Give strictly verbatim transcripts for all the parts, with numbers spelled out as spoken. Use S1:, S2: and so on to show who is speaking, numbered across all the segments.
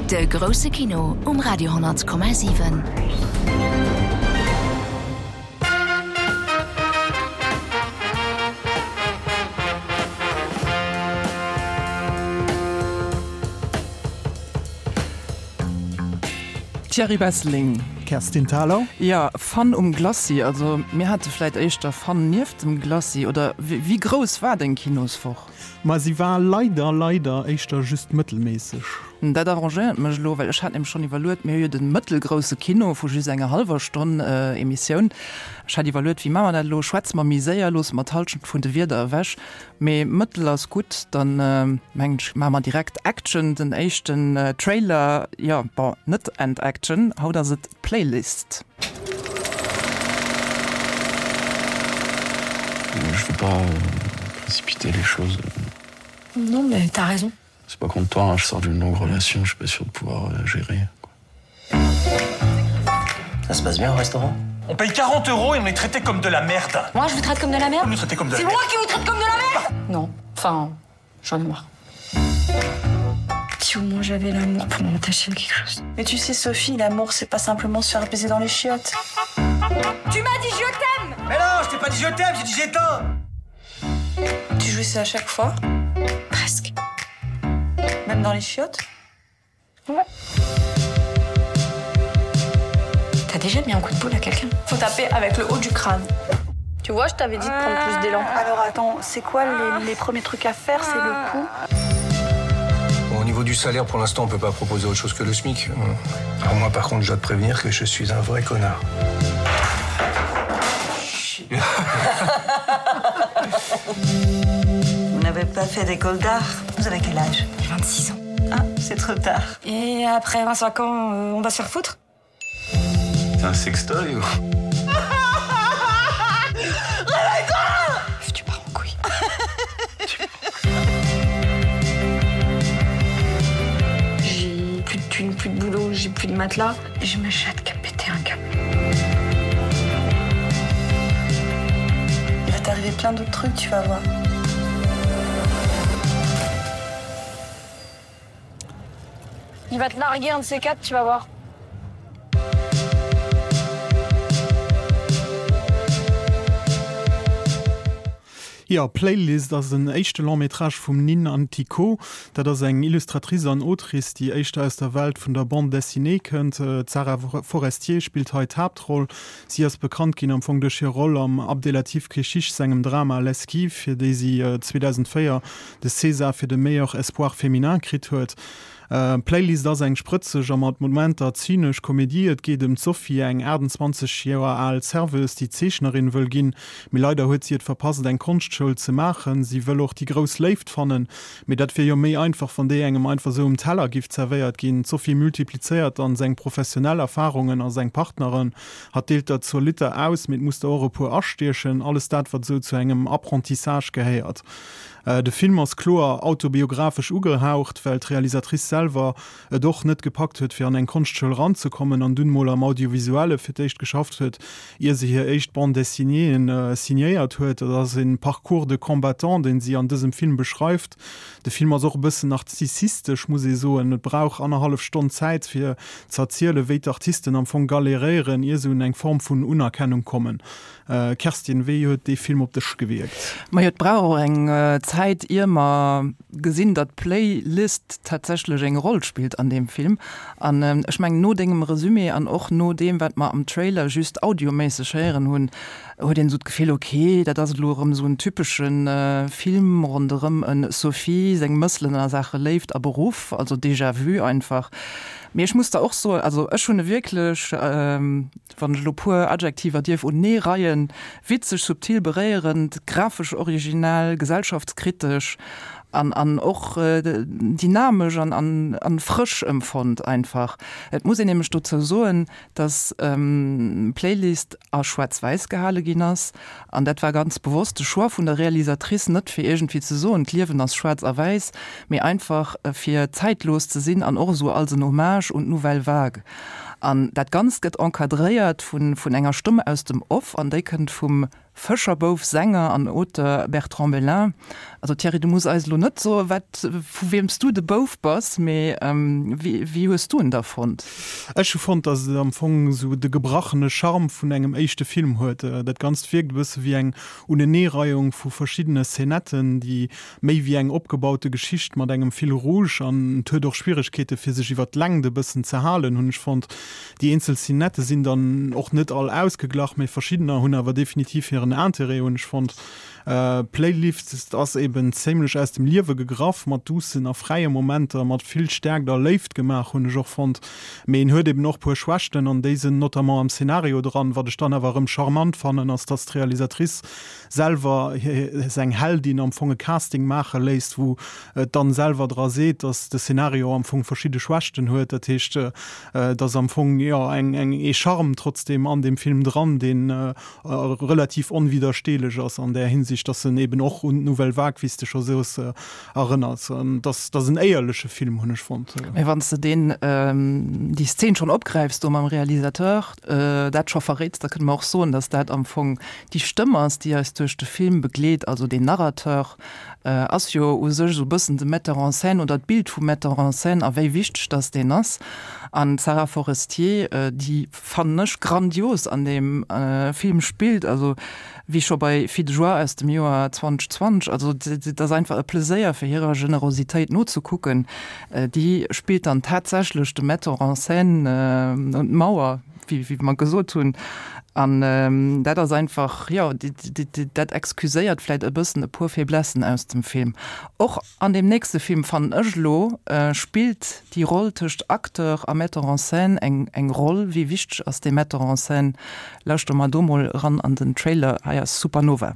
S1: De grousse Kino um Radio honnert Komma siwen.
S2: Thierry Besseling.
S3: Kerstin Thalau.
S2: Jo, Fun um Glacis, also mir hate vläit éischter Fun nieft dem Glacis, oder wéi grouss war deng Kinoswoch?
S3: Ma si war leider, leider éischter just mëttelméisseg.
S2: Dat arrangéiert mech elo, well ech hat nämlech schonn iwwerluet, mir hu jo de mëttelgrousse Kino vu just enger hallwer Stonn Emissioun. Ech hat iwwerluet, wéi maache mer dat elo, schwätze mer méi séier, loosse mer d'Hallschent vun de Wierder ewech? Mee mëttel ass gutt, dann mengen ech, maache mer direkt Action, den éischten Trailer, jo, bon, net and Action, haut ass et Playlist.
S4: Je veux pas précipiter les choses.
S5: Non mais t'as raison.
S4: C'est pas contre toi, hein, je sors d'une longue relation, je suis pas sûr de pouvoir euh, gérer. Quoi.
S6: Ça se passe bien au restaurant?
S7: On paye quarante euros et on est traité comme de la merde.
S5: Moi, je vous traite comme de la merde?
S7: Vous nous traitez comme de la
S5: C'est
S7: merde.
S5: moi qui vous traite comme de la merde? Non, enfin, j'en ai marre. Si au moins j'avais l'amour pour m'attacher à quelque chose.
S8: Mais tu sais, Sophie, l'amour, c'est pas simplement se faire baiser dans les chiottes.
S5: Tu m'as dit je t'aime!
S6: Mais non, je t'ai pas dit je t'aime, j'ai dit j'éteins!
S8: Tu jouissais à chaque fois?
S5: Presque.
S8: Même dans les chiottes?
S5: Ouais. T'as déjà mis un coup de boule à quelqu'un?
S8: Faut taper avec le haut du crâne.
S9: Tu vois, je t'avais dit de prendre plus d'élan.
S8: Alors attends, c'est quoi les, les premiers trucs à faire? C'est le cou.
S10: Bon, au niveau du salaire, pour l'instant, on peut pas proposer autre chose que le SMIC. Alors moi, par contre, je dois te prévenir que je suis un vrai connard.
S8: Vous n'avez pas fait d'école d'art? Vous avez quel âge?
S5: vingt-six ans.
S8: Ah, c'est trop tard.
S5: Et après vingt-cinq ans, euh, on va se faire foutre?
S4: C'est un sextoy ou?
S5: Réveille-toi! Tu pars en couille.
S9: J'ai plus de thunes, plus de boulot, j'ai plus de matelas.
S5: J'ai ma chatte qui a pété un câble.
S8: Il va t'arriver plein d'autres trucs, tu vas voir.
S9: Il va te larguer un de ces quatre, tu vas voir.
S3: Jo, Playlist ass den éischte Long-métrage vum Nine Antico. Dat ass eng Illustratrice an Autrice, déi éischter aus der Welt vun der Bande dessinée kënnt. D'Sarah Forestier spillt hei d'Haaptroll. Si ass bekannt ginn am Fong duerch hir Roll am Abdellatif Kechiche sengem Drama L'Esquive, fir déi si zweedausendvéier de César fir de Meilleur Espoir féminin kritt huet. Playlist ass eng sprëtzeg a mat Momenter zynesch Komedie. Et geet ëm d'Sophie, eng achtundzwanzeg Joer al Serveuse, déi Zeechnerin wëll ginn, mee leider huet si et verpasst, eng Konschtschoul ze maachen. Si wëll och déi grouss Léift fannen, mee dat wier jo méi einfach, wann déi engem einfach sou um Teller giff zerwéiert ginn. D'Sophie multiplizéiert dann seng professionell Erfarungen a seng Partneren. Hatt deelt der zur Liter aus, mee et muss der och e puer astiechen. Alles dat, wat sou zu engem Apprentissage gehéiert. De Film ass kloer autobiographesch ugehaucht, well d'Realisatrice selwer et och net gepackt huet, fir an eng Konschtschoul eranzekommen an dunn mol am Audiovisuelle fir d'éischt geschafft huet, ier se hir éischt Bande dessinéeën signéiert huet. Et ass e Parcours de combattant, deen si an dësem Film beschreift. De Film ass och e bëssen narzisstisch, muss ee soen. Et brauch annerhallef Stonn Zäit, fir z'erzielen, wéi d'Artisten am Fong galeréieren, ier se un eng Form vun Unerkennung kommen. Kerstin, wéi huet dee Film op dech gewierkt?
S2: Majo, et brauch och eng Zäit, ier mer gesinn, datt d'Playlist tatsächlech eng Roll spillt an deem Film. An ech mengen, no dengem Resumé an och no deem, wat mer am Trailer just audioméisseg héieren hunn, huet een esou d'Gefill, ok, dat ass elo erëm esou en typesche Film ronderëm en Sophie seng Mësselen a Saache Léift a Beruff, also déjà vu einfach. Mee ech muss der och soen, also ech hunn e wierklech, wann ech elo puer Adjektiver dierf unee reien, witzeg, subtil, beréierend, grafesch originell, gesellschaftskritesch an an och dynamesch an an an frësch empfonnt einfach. Et muss een nämlech dozou soen, dass d'Playlist a schwaarz-wäiss gehale ginn ass an dat war ganz bewosst de Choix vun der Realisatrice, net fir iergendwéi ze soen, d'Liewen ass schwaarz a wäiss, mee einfach fir zeitlos ze sinn an och esou als en Hommage un d'Nouvelle Vague. An dat Ganzt gëtt encadréiert vun vun enger Stëmm aus dem Off, an déi kënnt vum Fëscherbouf, Sänger an Auteur Bertrand Belin. Also Thierry, du muss eis elo net soen, wat, vu wiem s du de Bouf bass, mee wéi, wéi hues du en da fonnt?
S3: Ech hu fonnt, datt et am Fong esou de gebrachene Charme vun engem éischte Film huet. Dat Ganzt wierkt e bësse wéi eng Uneneereiung vu verschiddene Szenetten, déi méi wéi eng opgebaute Geschicht mat engem Fil rouge, an et huet och Schwieregkeete fir sech iwwer d'Längt e bëssen ze halen, hunn ech fonnt. Déi eenzel Szenette sinn dann och net all ausgeglach, mee verschiddener hunn awer definitiv hiren Interêt, hunn ech fonnt. Playlist ass eben zéimlech aus dem Liewe gegraff, mat duussen a fräie Momenter, mat vill Stäerkt a Léift gemaach, hunn ech och fonnt. Mee en huet eben och puer Schwächten, an déi sinn notamment am Szenario dran. Wat ech dann awer erëm charmant fannen, ass, dass d'Realisatrice selwer seng Heldin am Fong e Casting maache léisst, wou et dann selwer dra seet, dass de Szenario am Fong verschidde Schwächten huet. Dat heescht, et ass am Fong, jo, eng, eng, ee Charme trotzdem an deem Film dran, deen relativ onwiddersteelech ass an där Hinsicht, dass en eben och un d'Nouvelle Vague, wéi s de scho soos, erënnert. An dass, dass en éierleche Film, hunn ech fonnt.
S2: Mä wann s de deen, déi Szen schonn opgräifs do mam Realisateur, dat scho verréits, da kënne mer och soen, dass dat am Fong déi Stëmm ass, déi eis duerch de Film begleet. Also deen Narrateur ass jo u sech esou e bëssen de Metteur en scène oder d'Bild vum Metteur en scène a wéi wichteg dass deen ass. An d'Sara Forestier, déi fannen ech grandios an deem Film spillt, also wéi scho bei Filles de joie aus dem Joer zweitausendzwanzeg, also et ass einfach e Pleséier fir hirer Generositéit nozekucken. Déi spillt dann tatsächlech de Metteur en scène un d'Mauer, wéi wéi mer gesot hunn. An dat ass einfach, jo, dat excuséiert vläit e bëssen e puer Faiblessen aus dem Film. Och an deem nächste Film, fannen ech elo, spillt déi Roll tëscht Acteur a Metteur en scène eng eng Roll. Wéi wichteg ass dee Metteur en scène? Lauschtere mer do mol eran an den Trailer. Hei ass Supernova.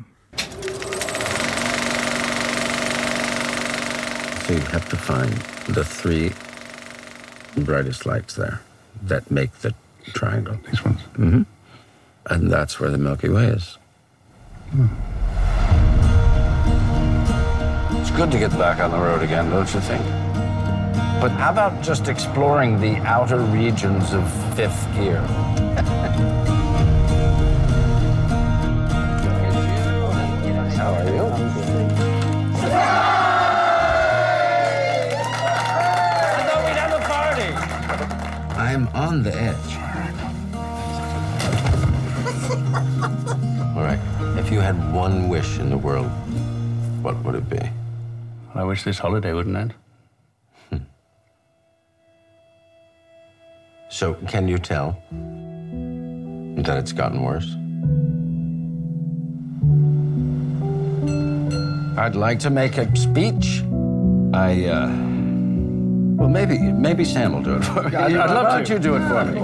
S11: So you have to find the three brightest lights there that make the triangle. These ones? Mm-hmm. And that's where the Milky Way is. Hmm. It's good to get back on the road again, don't you think? But how about just exploring the outer regions of fifth gear? How are you? I thought we'd have a party. I'm on the edge. All right. If you had one wish in the world, what would it be? I wish this holiday wouldn't end. Hmm. So can you tell that it's gotten worse? I'd like to make a speech. I uh well maybe maybe Sam will do it for me. I'd, I'd love to. you do it for me.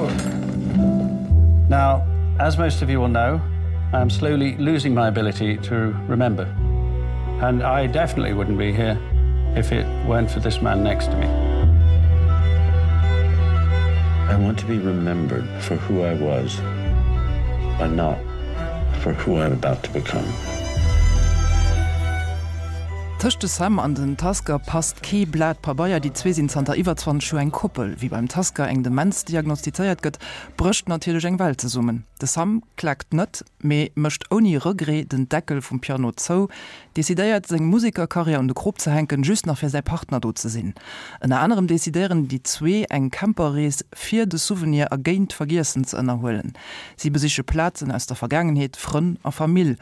S11: Now, as most of you will know, I am slowly losing my ability to remember. And I definitely wouldn't be here if it weren't for this man next to me. I want to be remembered for who I was and not for who I'm about to become.
S2: Tëscht de Sam an den Tasker passt kee Blat Pabeier. Déi zwee sinn zanter iwwer zwanzeg Joer eng Koppel. Wéi beim Tasker eng Demenz diagnostizéiert gëtt, brécht natierlech eng Welt zesummen. De Sam klaakt net, mee mécht ouni Regret den Deckel vum Piano zou, decidéiert seng Musekerkarriär un de Krop ze hänken, just nach fir säi Partner do ze sinn. Ënner anerem decidéieren déi zwee eng Camperrees fir de Souvenir a géint d'Vergiessen ze ënnerhuelen. Si besiche Plazen aus der Vergaangenheet, Frënn a Famill.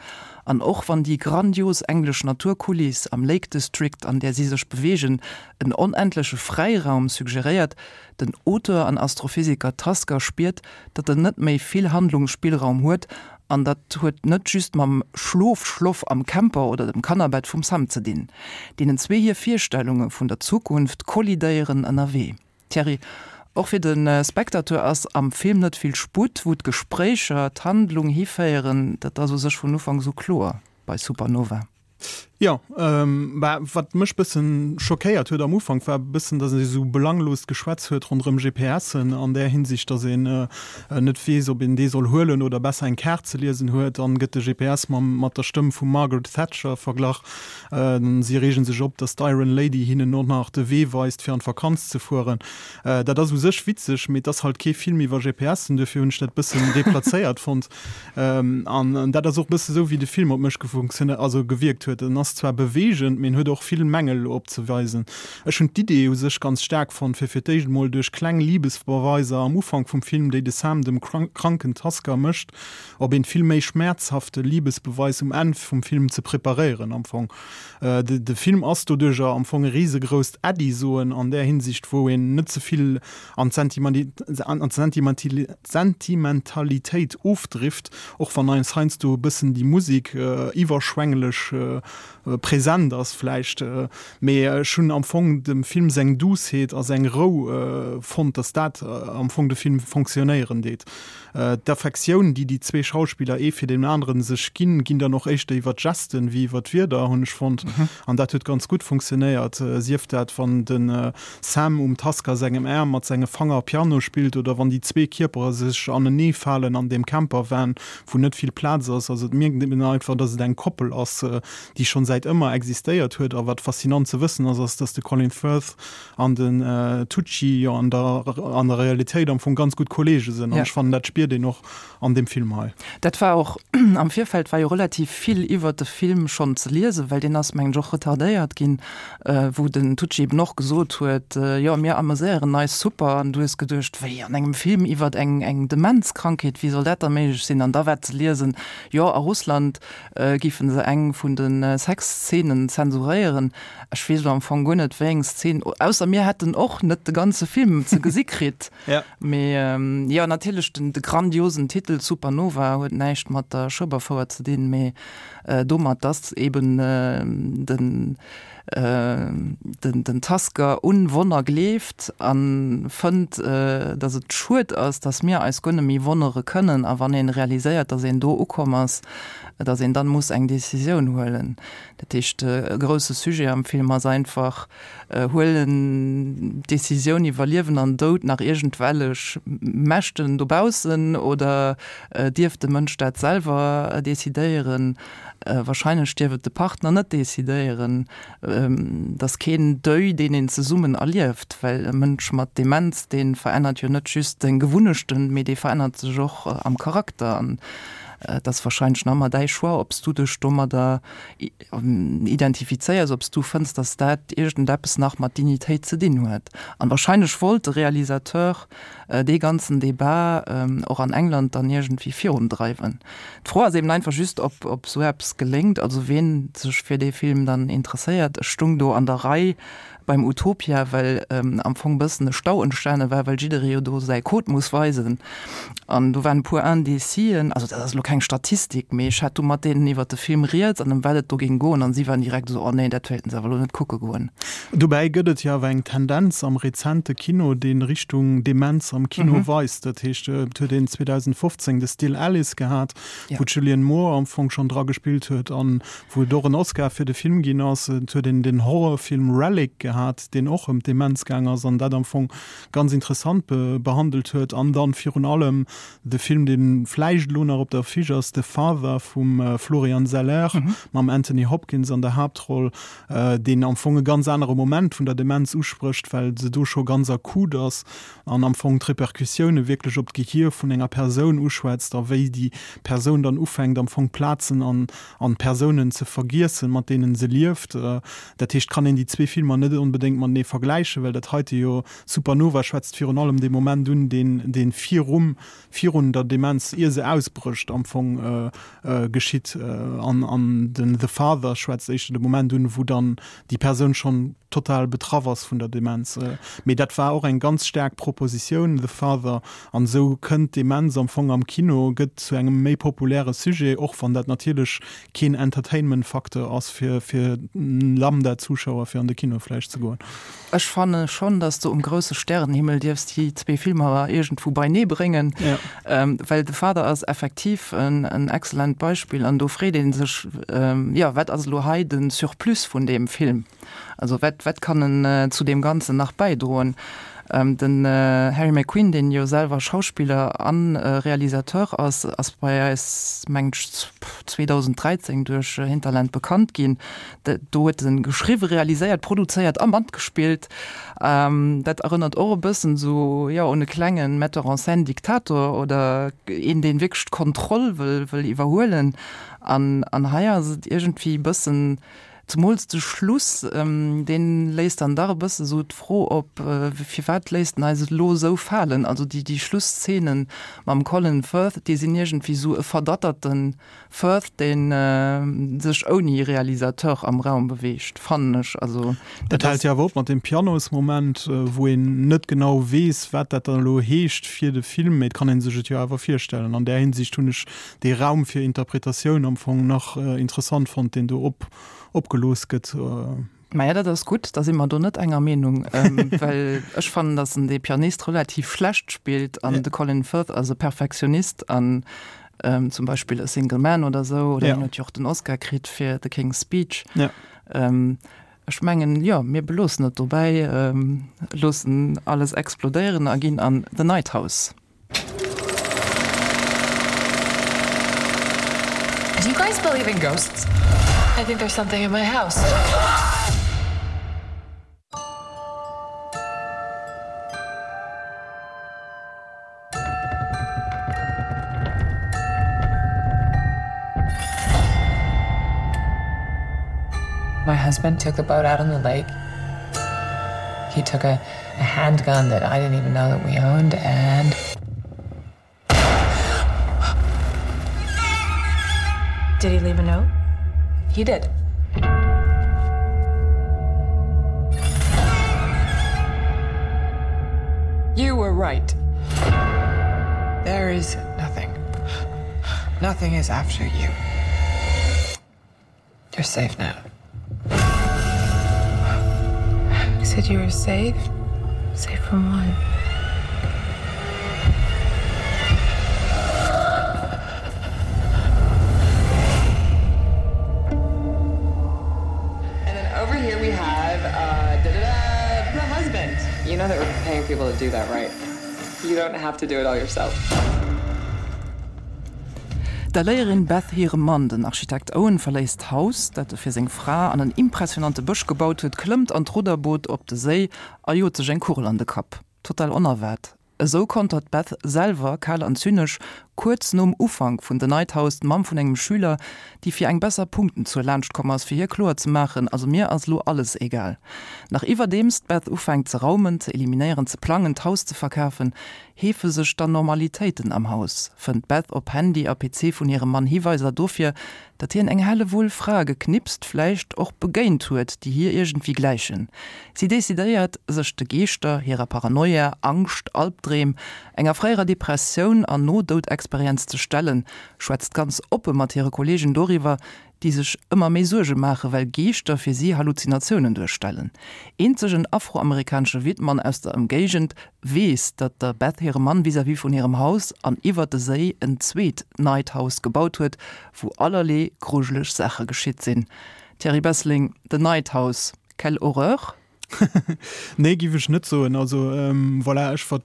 S2: An och wann déi grandios englesch Naturkuliss am Lake District, an där si sech beweegen, en onendleche Fräiraum suggeréiert, den Auteur an Astrophysiker Tasker spiert, datt en net méi vill Handlungsspillraum huet, an dat huet net just mam Schlofschloff am Camper oder dem Kannerbett vum Sam ze dinn. Deenen zwee hir Virstellunge vun der Zukunft kollidéieren ënnerwee. Thierry, Och fir de Spectateur ass am Film net vill Sputt, wou d'Gespréicher d'Handlung hiféieren, dat ass u sech vun Ufanks u kloer bei Supernova.
S3: Jo, bah, wat mech bëssen schockéiert huet am Ufank, war bëssen, dass e sou belangloost Geschwätz huet ronderëm GPSen an där Hinsicht, dass een net weess, ob een dee soll huelen oder besser eng Kaart ze liesen huet. Dann gëtt de G P S mam mat der Stëmm vum Margaret Thatcher verglach. Si reegen sech op, dass d'Iron Lady hinnen och nach de Wee weist, fir an d'Vakanz ze fueren. Dat ass u sech witzeg, mee et ass halt kee Film iwwer G P Sen, duerfir hunn ech dat bëssen deplazéiert fonnt. An dat ass och bësse sou, wéi de Film op mech gefunktione also gewierkt huet. En ass zwar beweegend, mee en huet och vill Mängel opzeweisen. Ech hunn d'Idee u sech ganz staark fonnt, fir fir d'éischt emol duerch kleng Libesbeweiser am Ufank vum Film, déi de Sam dem kranken Tusker mécht, op een vill méi schmäerzhafte Libesbeweis um Enn vum Film ze preparéieren. Am Fong de Film ass doduercher am Fong e risegrousst Äddi soen an där Hinsicht, wou een net ze vill an d'Sentimentalitéit ofdrift, och wann eis heiansdo e bëssen déi Musek iwwerschwänglech present ass vläicht. Mee ech hunn am Fong dem Film seng Douceheet a seng Rou fonnt, dass dat am Fong de Film fonctionnéieren deet. D'Affektioun, déi déi zwee Schauspiller ee fir deen aneren sech ginn, ginn dann och éischter iwwer d'Gesten wéi iwwer d'Wierder, hunn ech fonnt. An dat huet ganz gutt funktionéiert, sief dat wann de Sam um Tusker sengem Aarm mat senge Fanger Piano spillt oder wann déi zwee Kierpere sech anenee falen an deem Campervan, wou net vill Plaz ass. Also et mierkt een einfach, dass et eng Koppel ass, déi schonn säit ëmmer existéiert huet. A wat faszinant ze wëssen ass, ass, dass de Colin Firth an den Tucci jo an der an der Realitéit am Fong ganz gutt Kollege sinn. An ech fannen, dat spiert een och an deem Film hei.
S2: Dat war och am Virfeld war jo relativ vill iwwert de Film schonn ze liesen, well deen ass mengen ech och retardéiert ginn, wou den Tucci eben och gesot huet, jo mir ameséieren eis super. An du hues geduecht, wéi an engem Film iwwert eng eng Demenzkrankheet, wéi soll dat da méiglech sinn? An da war ze liesen, jo a Russland géifen se eng vun de Sexszenen zensuréieren. Ech weess elo am Fong guer net wéi eng Szen, ausser mir hätten och net de ganze Film ze gesi kritt.
S3: Ja.
S2: Mee jo natierlech den de grandiosen Titel Supernova huet näischt mat der Schueberfouer ze dinn, mee domat dass eben den den den Tusker un Wonner gleeft an fënnt dass et schued ass, dass mir eis guer net méi wonnere kënnen a wann een realiséiert, dass een do ukomm ass, dass een dann muss eng Decisioun huelen. Dat heescht e grousse Sujet am Film ass einfach, huelen d'Decisioun iwwer Liewen an Doud nach iergendwellech Mächten dobaussen oder dierf de Mënsch dat selwer decidéieren? Wahrscheinlech dierf et de Partner net decidéieren. Et ass keen Deuil, deen een zesummen erlieft, well e Mënsch mat Demenz, dee verännert jo net just seng Gewunnechten, mee dee verännert sech och am Charakter. An et ass wahrscheinlech nach ëmmer däi Choix, ob s du dech domadder identifizéiers, ob s du fënns, dass dat iergendeppes nach mat Dignitéit ze dinn huet. An wahrscheinlech wollt de Realisateur dee ganzen Debat och an England dann iergendwéi virundreiwen. D'Fro ass eben einfach just, ob ob sou eppes geléngt, also ween sech fir dee Film dann interesséiert. Ech stung do an der Rei beim Utopia, well am Fong bëssen e Stau entstane war, well jidderee jo do säi Code muss weisen. An do waren e puer Indécisen, also dat ass elo keng Statistik, mee ech hat du mat deenen iwwert de Film rieds an ëm wat et do géing goen an si waren direkt esou, oh nee, dat wéilten se awer elo net kucke goen.
S3: Dobäi gëtt et jo awer eng Tendenz am rezente Kino, dee Richtung Demenz am Kino weist. Dat heescht, et huet een zweedausendfofzéng de Still Alice gehat, wou d'Julianne Moore am Fong schonn dra gespillt huet an wou et och en Oscar fir de Film ginn ass. Et huet een den Horrorfilm Relic gehat, deen och ëm d'Demenz gaang ass an dat am Fong ganz interessant behandelt huet. An dann virun allem de Film, dee vläicht elo nach op der Affiche ass, The Father vum Florian Zeller mam Anthony Hopkins an der Haaptroll, deen am Fong e ganz anere Moment vun der Demenz usprécht, well se do scho ganz akut ass an am Fong d'Repercussioune wierklech op d'Gehier vun enger Persoun uschwätzt a wéi déi Persoun dann ufänkt am Fong Plazen an an Persounen ze vergiessen, mat deenen se lieft. Dat heescht, kann een déi zwee Filmer net onbedéngt matenee vergläichen, well dat heite jo, Supernova schwätzt virun allem dee Moment un, deen deen virum virun der Demenz, ier se ausbrécht, am Fong geschitt an an den The Father schwätzt éischter de Moment un, wou dann déi Persoun schonn total betraff ass vun der Demenz. Mee dat war och eng ganz staark Propositioun, The Father, an esou kënnt d'Demenz am Fong am Kino, gëtt zu engem méi populäre Sujet, och wann dat natierlech keen Entertainment-Facteur ass fir fir Lambda-Zuschauer fir an de Kino vläicht ze goen.
S2: Ech fanne schonn, dass de Um grousse Stärenhimmel dierfs déi zwee Filmer iergendwou beinee bréngen, well The Father ass effektiv en en excellent Beispill an do freet ee sech, jo, wat ass elo hei de Surplus vun deem Film? Also wat, wat kann en zu deem Ganzen nach bäidroen? Den Harry McQueen, deen jo selwer Schauspiller a Realisateur ass, ass bei eis, mengen ech, zweedausenddräizéng duerch Hinterland bekannt ginn. Do huet en geschriwwen, realiséiert, produzéiert a matgespillt. Dat erënnert och e bëssen esou, jo, un e klenge Metteur en scène Diktator oder een, deen wierklech d'Kontroll wëll, wëll iwwerhuelen. An, an hei ass et iergendwéi e bëssen, Zemools de Schluss, dee léisst dann dach e bësse sou d'Fro op, firwat léisst en eis et elo esou falen? Also déi, déi Schlussszene mam Colin Firth, déi sinn iergendwéi sou e verdatterte Firth, dee sech ouni Realisateur am Raum beweegt, fannen ech. Also
S3: dat hält jo awer op mat deem Pianosmoment, wou een net genau weess, wat dat dann elo heescht fir de Film, mee et kann ee sech et jo awer virstellen. An där Hinsicht hunn ech dee Raum fir Interpretatioun am Fong nach interessant fonnt, deen do op opgelooss gëtt.
S2: Maja, dat ass gutt, da si mer do net enger Meenung, well ech fannen, datt en dee Pianist relativ schlecht spillt an de Colin Firth ass e Perfektionist an zum Beispill A Single Man oder esou, oder hien huet jo och den Oscar kritt fir The King's Speech. Ech mengen, jo, mir beloossen et dobäi, loossen alles explodéieren a ginn an The Night House.
S12: Do you guys believe in ghosts? I think there's something in my house. My husband took the boat out on the lake. He took a, a handgun that I didn't even know that we owned and Did he leave a note? He did. You were right. There is nothing. Nothing is after you. You're safe now. You said you were safe? Safe from what? And then over here we have uh, da -da -da, the husband. You know that we're paying people to do that, right? You don't have to do it all yourself.
S2: Der Léierin Beth hire Mann, den Architekt Owen, verléisst d'Haus, dat e fir seng Fra an en impressionante Bësch gebaut huet, klëmmt an d'Rudderboot op de Séi a jot sech eng Kugel an de Kapp. Total onerwaart. Esou kontert d'Beth selwer kal an zynesch, kuerz nom Ufank vun The Night House, d'Mamm vun engem Schüler, déi fir eng besser Punktenzuel laanscht komm ass, fir hir kloer ze maachen, Also mir ass lo alles egal. Nach iwwerdeems d'Beth ufänkt ze raumen, ze eliminéieren, ze plangen, d'Haus ze verkafen, heefe sech d'Anormalitéiten am Haus, fënnt d'Beth op Handy a P C vun hirem Mann Hiweiser dofir, datt hien eng Hellewull Frae geknipst, vläicht och begéint huet, déi hir iergendwéi gläichen. Si decidéiert, sech de Geeschter, hirer Paranoia, Angscht, Albdreem, enger fréierer Depressioun an Nodoudexperienz ze stellen, schwätzt ganz oppe mat hire Kolleegen doriwwer, déi sech ëmmer méi Suerge maachen, well Geeschter fir si Halluzinatiounen duerstellen. Eenzeg en afroamerikanesche Wittmann aus der Ëmgéigend weess, datt der Beth hire Mann vis-à-vis vun hirem Haus an iwwer de Séi en zweet Night House gebaut huet, wou allerlee grujeleg Saache geschitt sinn. Thierry Besseling, The Night House, quelle horreur?
S3: Nee, giff ech net soen. Also voilà, ech wat,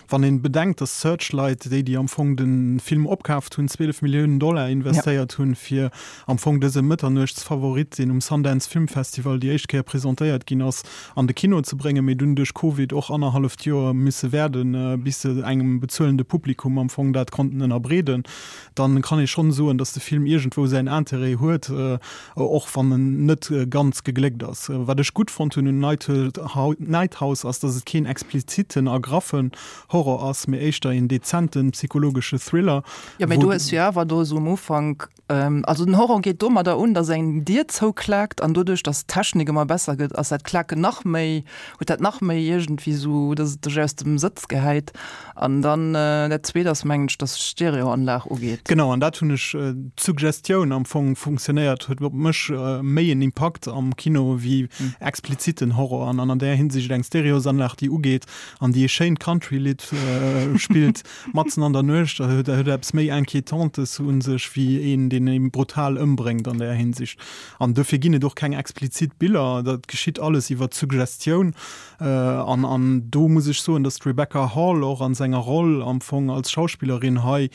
S3: wann een bedenkt, dass Searchlight, déi déi am Fong de Film opkaaft hunn, zwielef Milliounen Dollar investéiert hunn, fir am Fong dëse Mëtternuechtsfavorit, deen um Sundance Film Festival déi éischt Kéier presentéiert ginn ass, an de Kino ze bréngen, mee dunn duerch Covid och annerhalleft Joer misse waarden, bis se engem bezuelende Publikum am Fong dat konnten ënnerbreeden, dann kann ee schonn soen, dass de Film iergendwou säin Interêt huet, och wann en net ganz gegléckt ass. Wat ech gutt fonnt hunn, hunn un Night House ass, dass et keen expliziten a graffen Horror ass, mee éischter een dezenten psychologesche Thriller.
S2: Jo, mee du hues jo awer do esou um Ufank, also den Horror geet domadder un, dass eng Dier zouklaakt an doduerch, dass d'Technik ëmmer besser gëtt, ass dat Klaken nach méi, huet dat nach méi iergendwéi esou, dass et dech aus dem Sëtz gehäit. An dann dat Zweet ass, mengen ech, dass d'Stereoanlag ugeet.
S3: Genau, an dat hunn ech, d'Suggestioun am Fong funktionéiert, huet op mech méi en Impakt am Kino wéi expliziten Horror. An an där Hinsicht eng Stereosanlag, déi ugeet an déi e schéint Country-Lidd spillt matzen an der Nuecht, dat huet eppes méi Inquiétantes u sech wéi een, deen ee brutal ëmbréngt an där Hinsicht. An dofir ginn et och keng explizit Biller, dat geschitt alles iwwer d'Suggestioun. An an do muss ech soen, datt d'Rebecca Hall och an senger Roll am Fong als Schauspillerin hei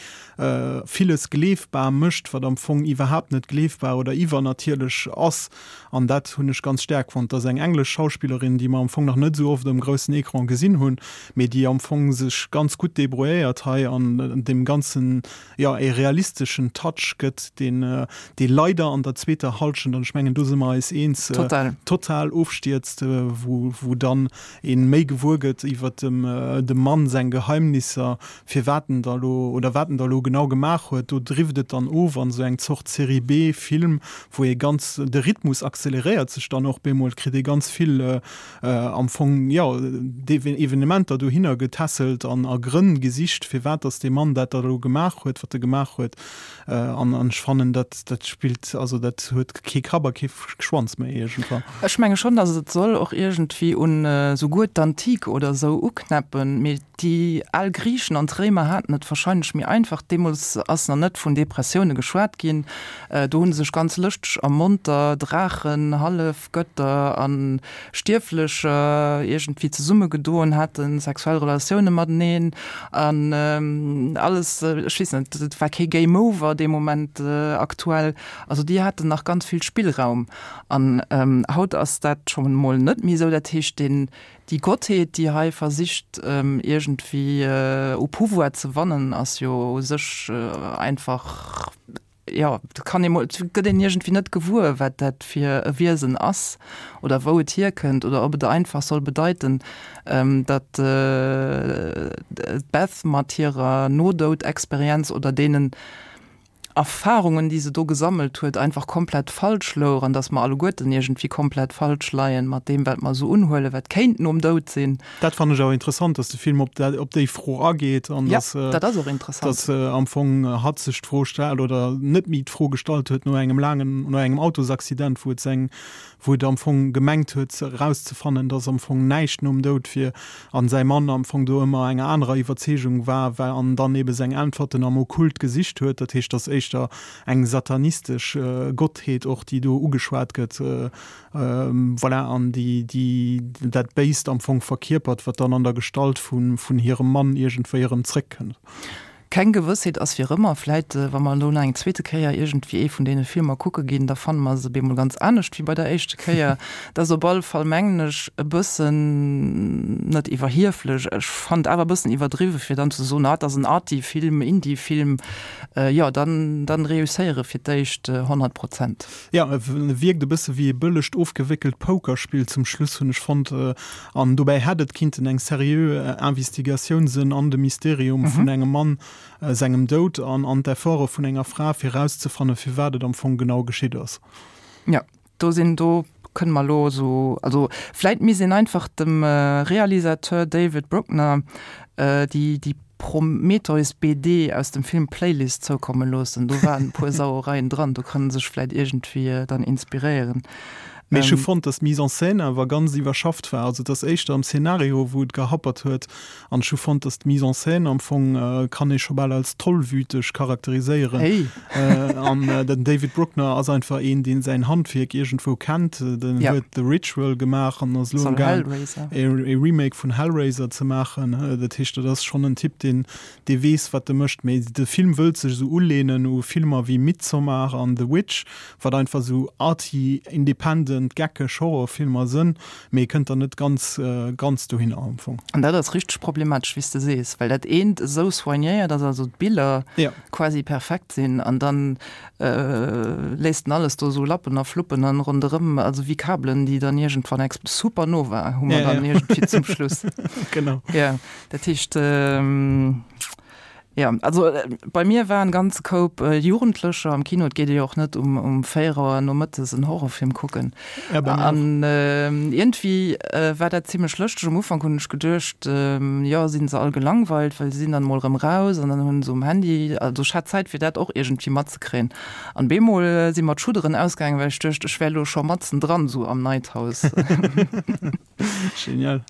S3: villes gleefbar mécht, wat am Fong iwwerhaapt net gleefbar oder iwwernatierlech ass. An dat hunn ech ganz staark fonnt. Dat ass eng englesch Schauspillerin, déi mer am Fong nach net esou oft um groussen Ecran gesinn hunn, mee déi am Fong sech ganz gutt debrouilléiert hei an deem Ganzen, jo, e realisteschen Touch gëtt, deen, dee leider an der zweeter Hallschent, an ech mengen, do si mer eis eens,
S2: Total.
S3: total ofstierzt, wou, wou dann ee méi gewuer gëtt iwwer dem, dem Mann seng Geheimnisser, firwat en da lo oder wat en da lo genau gemaach huet. Do drift et dann of an esou eng Zort Serie B-Film, wou ee ganz, de Rhythmus acceleréiert sech dann och bemol, kritt ee ganz vill am Fong, jo, Evenementer dohinner getässelt an a Grënn gesicht, firwat dass dee Mann dat da elo gemaach huet, wat e gemaach huet. An an ech fannen, dat dat spillt, also dat huet kee Kapp a kee Schwanz méi iergendwann.
S2: Ech menge schonn, dass et soll och iergendwéi un souguer d'Antike oder esou uknäppen, mee déi al Griichen an d'Réimer haten et wahrscheinlech méi einfach. Deemools ass nach net vun Depressioune geschwat ginn. Do hu sech ganz lëschteg a monter Draachen, Hallefgötter a Stierflecher iergendwéi zesummegedoen, hate sexuell Relatioune mateneen an alles, ech weess net, et war kee Game Over dee Moment aktuell. Also déi haten nach ganz vill Spillraum. An haut ass dat schonn emol net méi esou. Dat heescht, deen, déi Gottheet, déi hei versicht iergendwéi u Pouvoir ze wannen, ass jo u sech einfach, jo, et kann ee mol, et gëtt een iergendwéi net gewuer, wat dat fir e Wiesen ass oder wou et hierkënnt oder ob et einfach soll bedeiten, datt d'Beth mat hirer Nodoud-Experienz oder deenen Erfahrungen, déi se do gesammelt huet, einfach komplett falsch louch an dass mer alleguerten iergendwéi komplett falsch leien mat deem, wat mer esou unhuelen, wat kéint nom Doud sinn.
S3: Dat fannen ech awer interessant, dass de Film op dat, op déi Fro ageet an
S2: Ja,
S3: dass,
S2: dat ass och interessant.
S3: dass am Fong hatt sech d'Fro stellt oder net méi d'Fro gestallt huet no engem laangen, no engem Autosaccident, wou et seng, wou et am Fong gemengt huet erauszefannen, dass am Fong näischt nom Doud wier an säi Mann am Fong do ëmmer enger anerer Iwwerzeegung war, war an dann ebe seng Äntwerten am Okkult gesicht huet. Dat heescht, dass éischter eng satanistesch Gottheet och, déi do ugeschwat gëtt, voilà, an déi, déi dat Béist am Fong verkierpert, wat dann an der Gestalt vun, vun hirem Mann iergendwéi erëm zréckkënnt.
S2: Keng Gewëssheet ass fir ëmmer. Vläit, wa mer elo nach eng zweete Kéier iergendwéi ee vun deene Filmer kucke ginn, da fanne mer se bemol ganz anescht wéi bei der éischte Kéier. Et ass op alle Fall, mengen ech, e bëssen, net iwwerhieflech, ech fannen et awer e bëssen iwwerdriwwe fir dann ze soen, ah, et ass en Arty-Film, Indie-Film. Jo, dann, dann reusséiere fir d'éischt honnert Prozent.
S3: Jo, e wierkt e bësse wéi e bëllegt ofgewéckelt Pokerspill zum Schluss, hunn ech fonnt. An dobäi hätt et kinnten eng seriö Investigatioun sënn an de Mysterium vun engem Mann sengem Doud an an d'Efforte vun enger Fra fir erauszefanne firwat et am Fong genau geschitt ass.
S2: Jo, do sinn, do kënne mer elo esou, also vläit misst een einfach dem Realisateur David Bruckner déi déi Prometheus B D aus dem Film Playlist zoukomme loossen. Do waren e puer Sauereien dran, do kann en sech vläit iergendwéi dann inspiréieren.
S3: Mee ech hu fonnt, dass d'Mise en scène awer ganz iwwerschafft war. Also et ass éischter am Szenario, wou et gehappert huet. An ech hu fonnt, dass d'Mise en scène am Fong kann ee scho bal als tollwüteg charakteriséieren.
S2: Hey.
S3: An den David Bruckner ass einfach een, deen säin Handwierk iergendwou kennt. Den huet The Ritual gemaach an ass elo am Gaang, e Remake vun Hellraiser ze maachen. Dat heescht, dat ass schonn en Typ, deen dee weess, wat e mécht. Mee de Film wëllt sech esou uleenen u Filmer wéi Midsommar an The Witch, wat einfach esou arty, independent erwaardend geckeg Horrorfilmer sënn, mee kënnt dann net ganz ganz dohinner am Fong.
S2: An dat ass richteg problematesch, wéi s de sees, well dat eent esou soignéiert ass, also d'Biller quasi perfekt sinn, an dann léisst en alles do esou lappen a fluppen an ronderëm, also wéi Kabelen, déi dann iergendwann expl-, Supernova hu mer dann iergendwéi zum Schluss.
S3: Genau.
S2: Jo, dat heescht, Jo, also bei mir war en ganze Koup Jugendlecher am Kino. Et geet ee jo och net um um véier Auer nomëttes en Horrorfilm kucken.
S3: Ja, bei mir och.
S2: An iergendwéi war dat zimlech lëschteg. Um Ufank hunn ech geduecht, jo, sinn se all gelangweilt, well se sinn dann emol erëm raus an dann hunn se um Handy, also ech hat Zäit fir dat och iergendwéi matzekréien. An bemol si mer d'Schudderen ausgaangen, well ech duecht, ech wär elo scho matzen dran, esou am Night House.
S3: Genial.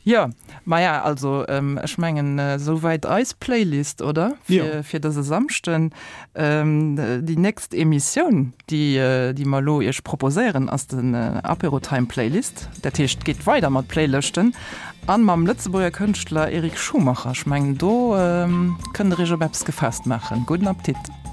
S2: Jo, maja, also ech mengen esouwäit eis Playlist, oder?
S3: Jo.
S2: Fir dëse Samschden. Déi nächst Emissioun, déi déi mer elo Iech proposéieren, ass den Apérotime Playlist. Dat heescht, et geet weider mat Playlëschten a mam Lëtzebuerger Kënschtler Eric Schumacher. Ech mengen, do kënnt Der Iech op eppes gefaasst maachen. Gudden Appetit!